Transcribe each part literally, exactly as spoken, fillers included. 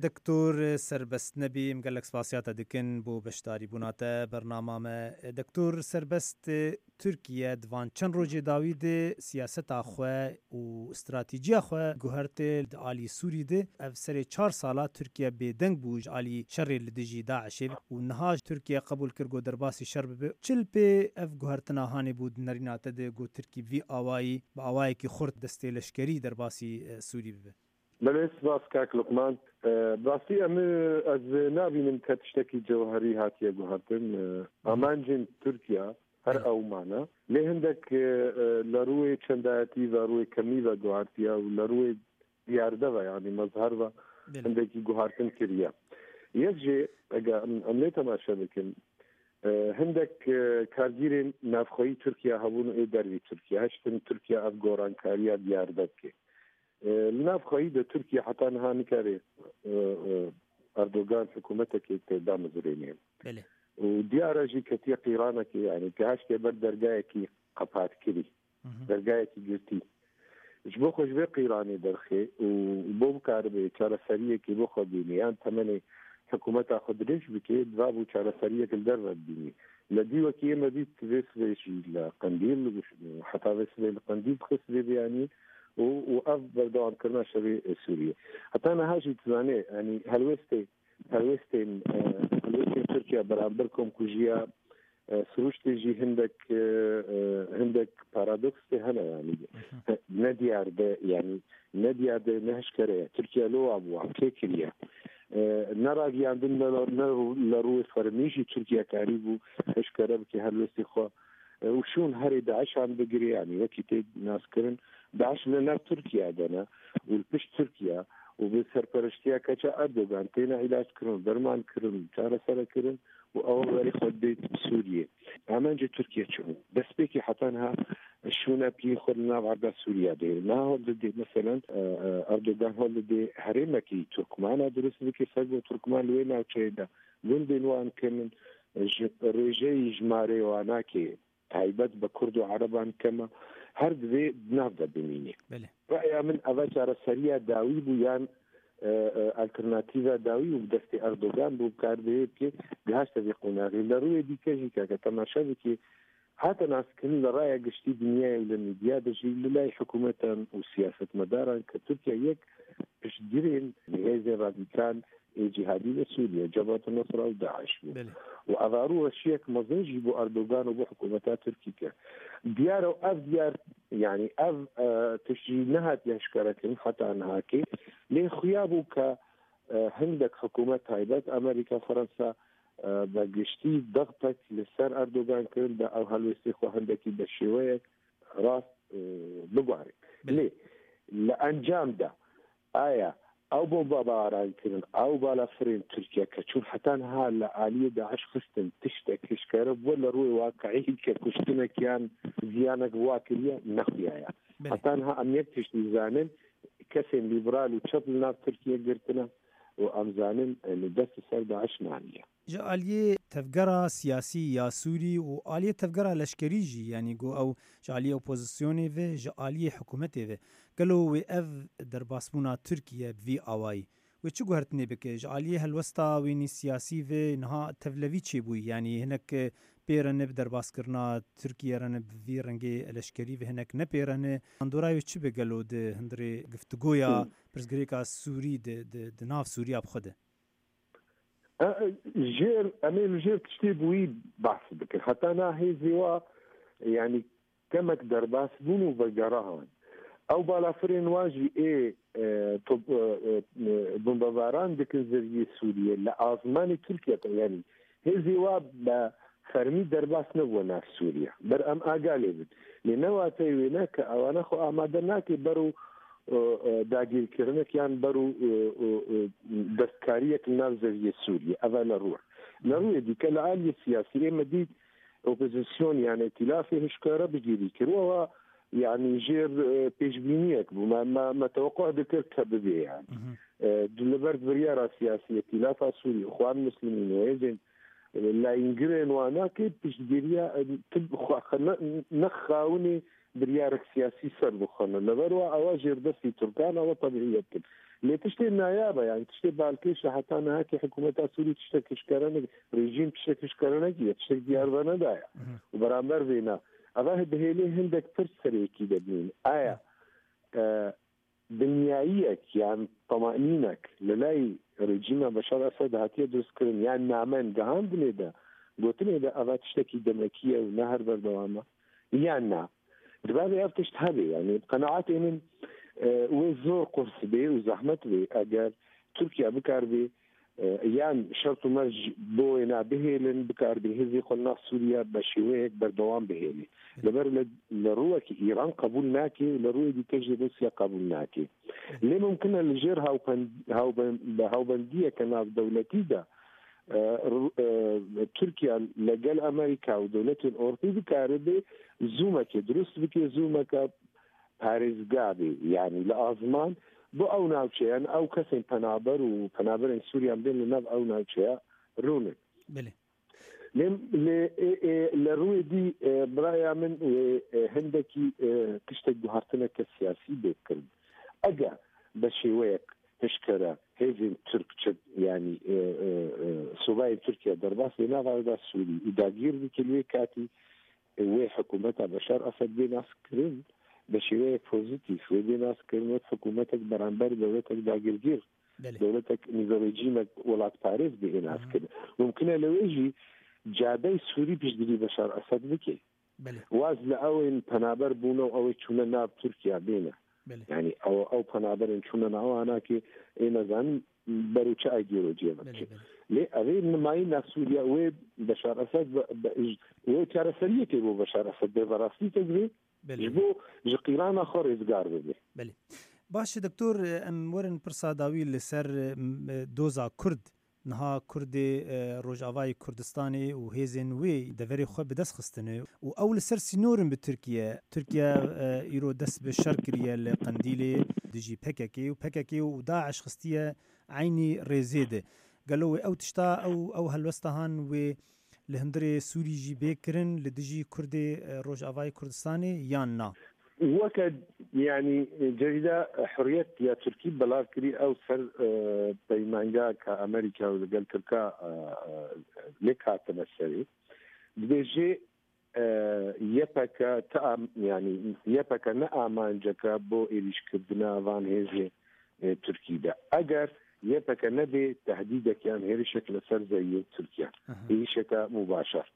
Doktor Serbest Nebî, em gelek spasiya te dikin bo beşdarîbûna te bernama me. Doktor Serbest, Tirkiye di van çend rojê dawî de siyaseta xwe û stratîjiya xwe guherte di alî Sûrî de. Ev serê çar sala Tirkiye bêdeng bû ji alî şerê li dijî DAIŞê û niha Tirkiye qebûl kir ku derbasî şer bibe. Çi li pê ev guhertina hanê bû di nerîna te de ku Tirkî vî awayî bi awayekî xurt destê leşkerî derbasî, e, Sûrî bibe? Belê, spas kak Luqman. E, bi rastî em, e, ez nabînim ke tiştekî cewherî hatiye guhertin. E, amancên Tirkiye her ew mane. Lê hindek, e, e, li rûyê çendayetî ve, rûyê kemî ve guhertiye û li rûyê diyarde ve, yanî mezher ve hindekî guhertin kiriye. Yek jê, eger em, em lê temaşe bikin, e, hindek, e, kargîrên navxweyî Tirkiye hebûn û ê dervî Tirkiye hiştin Tirkiye ev gorankariya diyarde bike. E, li nav xweyî de Tirkiye heta niha nikare, e, e, Erdogan hikûmetekê tê damezirênê. Belê. Û diyar e jî ketiye qîranekê, yanî ke hişke ber dergayekî qepatkirî, Hı hı. dergayekî girtî. Ji bo xwe ji vê qîranê derxê û bo bikaribe çareseriyekê bo xwe bîne, yan temenê hikûmeta xwe dirêj bike, divabû çareseriyek li derve bibînî. Li dî wekî ême dît vê sibê jî li Qendîl, heta vê sibê li Qendîl dixist vê beyanî û, û ev berdewamkirina şerê Sûriyê. Heta niha jî dizane, yanî helwestê, helwestên, e, helwestên Tirkiye beramber komkujiya, e, sirûştê jî hindek, e, e, hindek paradoksê hene, yanî ne diyar de, yanî ne diyar de, ne hişkere ye. Tirkiye lo wa bû, wa kê kiriye. E, ne ragiyandin, ne, ne li rûyê fermî jî Tirkiye karîbû hişkere bike helwestê xwe. E, û şûn herê DAIŞan bigire, yanî wekî tê naskirin, DAIŞ li nav Tirkiye de ne û li pişt Tirkiye û bi serpereştiya keça Erdogan têne îlac kirin, derman kirin, çaresere kirin û ew berê xwe didê Sûriyê. Amence Tirkiye çi bû? Destpêkê heta niha şûne piyên xwe li nav erda Sûriye dê. Niha hol didê, meselen, e, e, Erdogan hol didê herêmekî Turkmana dirust bike, ser bo Turkman li wê navçeyê de gundên wan kemin, ji rêjeyî jimarê wanakê taybet bi Kurd û Ereban keme, her divê di nav de bimîne. Belê. Raya min eva çareseriya dawî bû yan, e, e, alternatîva dawî û bi destê Erdogan bû bikar bihê bike, gihaşte vê qonaxê. Li rûyê dîke jî keke temaşe bike, hate naskirin li raya giştî dinyayê û li medya de jî li lay hikûmetan û siyasetmedaran ke Tirkiye yek piştgirên hêzên radîkal ê cîhadî li Sûriye, Cebhat Nusra û DAIŞ bû. Belê. Û eva rû weşiyek mezin jî bo Erdogan û bo hikûmeta Tirkî kir. Diyar e ev diyar, yanî ev, e, tişt jî nehatiye hişkarekirin heta nihakê. Lê xuya bû ke, e, hindek hikûmet taybet, Amerîka, Fransa, e, bi giştî dixtek li ser Erdogan kirin, da ew helwestê xwe hindekî bi şêweyek rast, e, biguherê. Belê. Lê li encam de aya ew bombebaran kirin, ew balafirên Tirkiye ke çûn heta niha li aliyê DAIŞ xistin, tiştek hişkere bû li rûyê waqiî ke kuştinek yan ziyanek bi wa kiriye, nexuya ye. Belê. Heta niha em yek tişt dizanin, kesên lîberal û çep li nav Tirkiye girtine û em zanin, e, li dest li ser DAIŞ naniye. Ji aliyê tevgera siyasî ya Sûrî û aliyê tevgera leşkerî jî, yanî ku ew ji aliyê opozisyonê ve, ji aliyê hikûmetê ve, gelo wê ev derbasbûna Tirkiye bi vî awayî, wê çi guhertinê bike? Ji aliyê helwesta wênî siyasî ve niha tevlevî çêbûyî, yanî hinek pê re ne bi derbaskirina Tirkiye re ne bi vî rengê leşkerî ve hinek ne pê re ne. Mandora wê çi be gelo di hundirê giftigoya Hmm. pirsgirêka Sûrî di, di, di nav Sûriya bi xwe de? E, e, jêr, em ê li jêr tiştê bi wî behs bikin. Heta na hêzê wa, yanî kemek derbas bûn û vegerahan. Ew balafirên wa jî ê, e, top, e, e, e, bombebaran dikin zeviyê Sûriye. Li azmanê Tirkiye de, yanî hêzê wa bi fermî derbas nebû nav Sûriye. Ber em aga lê bin. Lê ne wateyê wê ne ke ewana xwe amade nake ber û, e, e, dagirkirinek yan ber û, e, e, e, destkariyek li nav zeviyê Sûriye. Ev e li rû. Li rûyê dîke li aliyê siyasî ê me dît opozîsyon, yanî îtîlafê hişkare bigirî kir. Ewa, yanî jêr, e, pêşbîniyek bû. Me, me, me teweqû dikir ke bibê, yanî. Mhm. E, di li ber biryara siyasî îtîlafa Sûrî, Îxwan Muslimîn û hêzên, e, layîngirên wanakê piştgiriya, e, tib xwe, ne, ne xawinê biryarek siyasî ser bixwene. Li ber wa ewa jêrdestî Tirkan ewa tebîiyet kin. Lê tiştê nayaba, yani tiştê balkêş e, heta niha ki hikûmeta Sûrî tiştek hişkere ne-, rejîm tiştek hişkere nekiye, tiştek diyar ve nedaye. Û beramber vêna, eva dihêlê hindek pirs serê yekî de bînin. Aya, e, dinyayiyek, yan temanînek li lay rejîma Beşar Esed hatiye dirustkirin, yan namen gihandinê de, gotinê de eva tiştekî demekî ye û ne her berdewam e, yan na? Divê ev tişt hebe, yani bi qenaetê min, e, wê zor qurs bê û zehmet bê eger Tirkiye bikarbê, e, yan şert û merc bo wêna bihêlin, bikarbê hêzê xwe li nav Sûriye be şêweyek berdewam bihêlê. Li ber li, li rûyekî Îran qebûl nake û li rûyê dîke jî Rûsya qebûl nake. Lê mumkin e li jêr hawpen-, hawben-, bi hawbendiyeke navdewletî de, e, Rû-, e, Tirkiye legel Amerîka û dewletên Ewropî bikaribe zûmekê dirust bike, zûmeke parêzga bê, yanî li azman bo ew navçeyan, ew kesên penaber û penaberên Sûriyan bên li nav ew navçeya rûnin. Belê. Lê, lê, ê, ê, li rûyê dî, ê, biraya min wê, ê, hindekî, ê, tiştek guhartineke siyasî bê kirin. Eger be şêweyek hişkere hêzên Tirk çi, yanî, ê, ê, ê, subayên Tirkiye derbas bê nava da Sûrî û dagîr bike li wê katî, ê, wê hikûmeta Beşar Esed bê nas kirin, be şêweyek pozîtîf wê bê nas kirin wek hikûmetek beramber dewletek dagirgîr, Belê. dewletek nîzorejîmek welatparêz bê nas kirin. Mumkin e li wê jî cadey Sûrî piştgirî Beşar Esed bike. Belê. Waz li ewên penaber bûne û ew ê çûne nav Tirkiye bêne. Belê. Yani ew, ew penaberên çûne nav anakê ê nezanin ber û çi ideolojiyê ve Belê, diçe. belê. Lê ev ê nimayîna Sûriye wê Beşar Esed ve, be, wê çareseriyekê bo Beşar Esed bê ve rastî te divê Belê. ji bo ji qîrana xwe rêzgar bibe. Belê. Baş e, doktor, em werin pirsa dawî li ser, em, doza Kurd. Niha Kurdê, e, Rojavayê Kurdistanê û hêzên wê deverê xwe bi dest xistine û ew li ser sînor in bi Tirkiye. Tirkiye, e, îro dest bi şer kiriye li Qendîlê dijî P K K û P K K û DAIŞ xistiye eynî rêzê de. Gelo wê ew tişta, ew, ew helwesta han wê li hundirê Sûrî jî bê kirin li dijî Kurdê, e, Rojavayê Kurdistanê yan na? Weke, yanî, cerîda Hurriyet ya Tirkî belav kirî, ew ser, e, peymanga ka Amerîka û li gel Tirka, e, e, lêk hatine serê. Dibêje, e, Y P G ti am-, yanî Y P G ne amanceke bo êrîşkirina van hêzê, e, Tirkî de. Eger Y P G nebê, tehdîdek yan hêrişek li ser zewiyê Tirkiye. Aha. Êrîşeke mubaşer.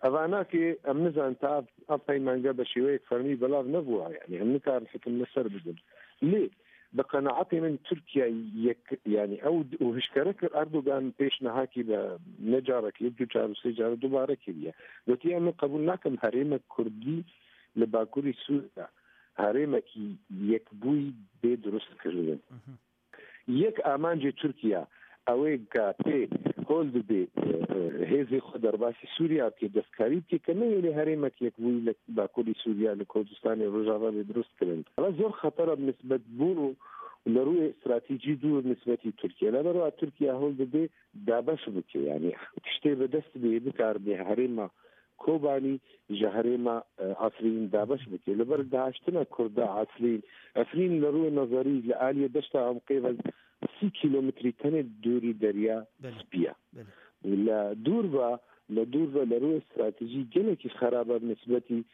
Evanakê em nizanin ta ev, ev peymenge be şêweyek fermî belav nebûwa, yanî em nikarin hikim li ser bidin. Lê bi qenaetê min Tirkiye yek, yanî ew d-, û hişkere kir Erdogan pêş nehakî be ne carek lê du car û sê car dubare kiriye. Gotiye, min qebûl nakim herêmek Kurdî li Bakurî Sûriye herêmekî yekbûyî bê dirust kirin. Mhm. Yek amancê Tirkiye ew ê ka tê hol dibê, e, e, hêzê xwe derbasî Sûriye bike, destkarî bike, ke nehêlê herêmek yekbûyî li Bakurî Sûriye, li Kurdistanê Rojava bê dirust kirin. Ev zor xetera bi nisbet bûn û li rûyê stratejî dûr nisbetî Tirkiye. Li ber wa Tirkiye hol dibê dabeş bike, yanî tiştê bi dest bê, bikaribe herêma Kobanî ji herêma, e, Efrîn dabeş bike. Li ber dahaştina Kurda Efrîn, Efrîn li rûyê nezerî li aliyê deşta Emqê ve sî kîlometrî tenê dûrî Derya Belê. Spî ye. Belê. Li dûr ve, li dûr ve li rûyê stratejî gelekî xerab e bi nisbetî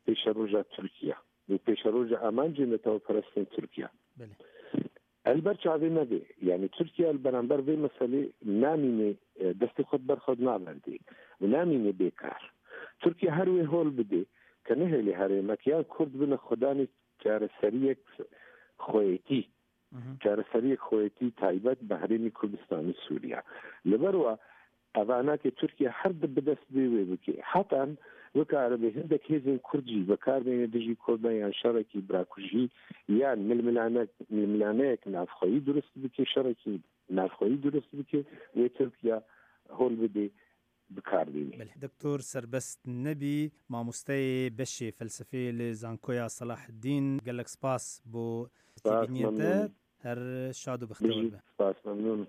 pêşeroja Tirkiye û pêşeroja amancên netewperestên Tirkiye. Belê. El ber çavê me bê. Yanî Tirkiye li beramber vê meselê namîne, e, destê xwe ber xwe naverdê û namîne bêkar. Tirkiye her wê hol bidê ke nehêlê herêmek ya Kurd bine xwedanê çareseriyek xweyetî. Mhm. Çareseriyek xweyetî taybet bi herêmî Kurdistanê Sûriye. Li ber wa evanakê Tirkiye her di bi dest bê wê bike. Hetan bikaribe hindek hêzên Kurd jî bi kar bêne dijî Kurdan yan şerekî birakujî yan milmilane-, milmilaneyek navxweyî dirust bike, şerekî navxweyî dirust bike, wê Tirkiye hol bide bi kar bîne. Belê. Doktor Serbest Nebî, mamosteyê beşê felsefeyê li Zankoya Selaheddîn, gelek spas bo Spas, têbîniyên te. Memnûn. Her şad û bextewar Bijî, be. Spas, memnûn.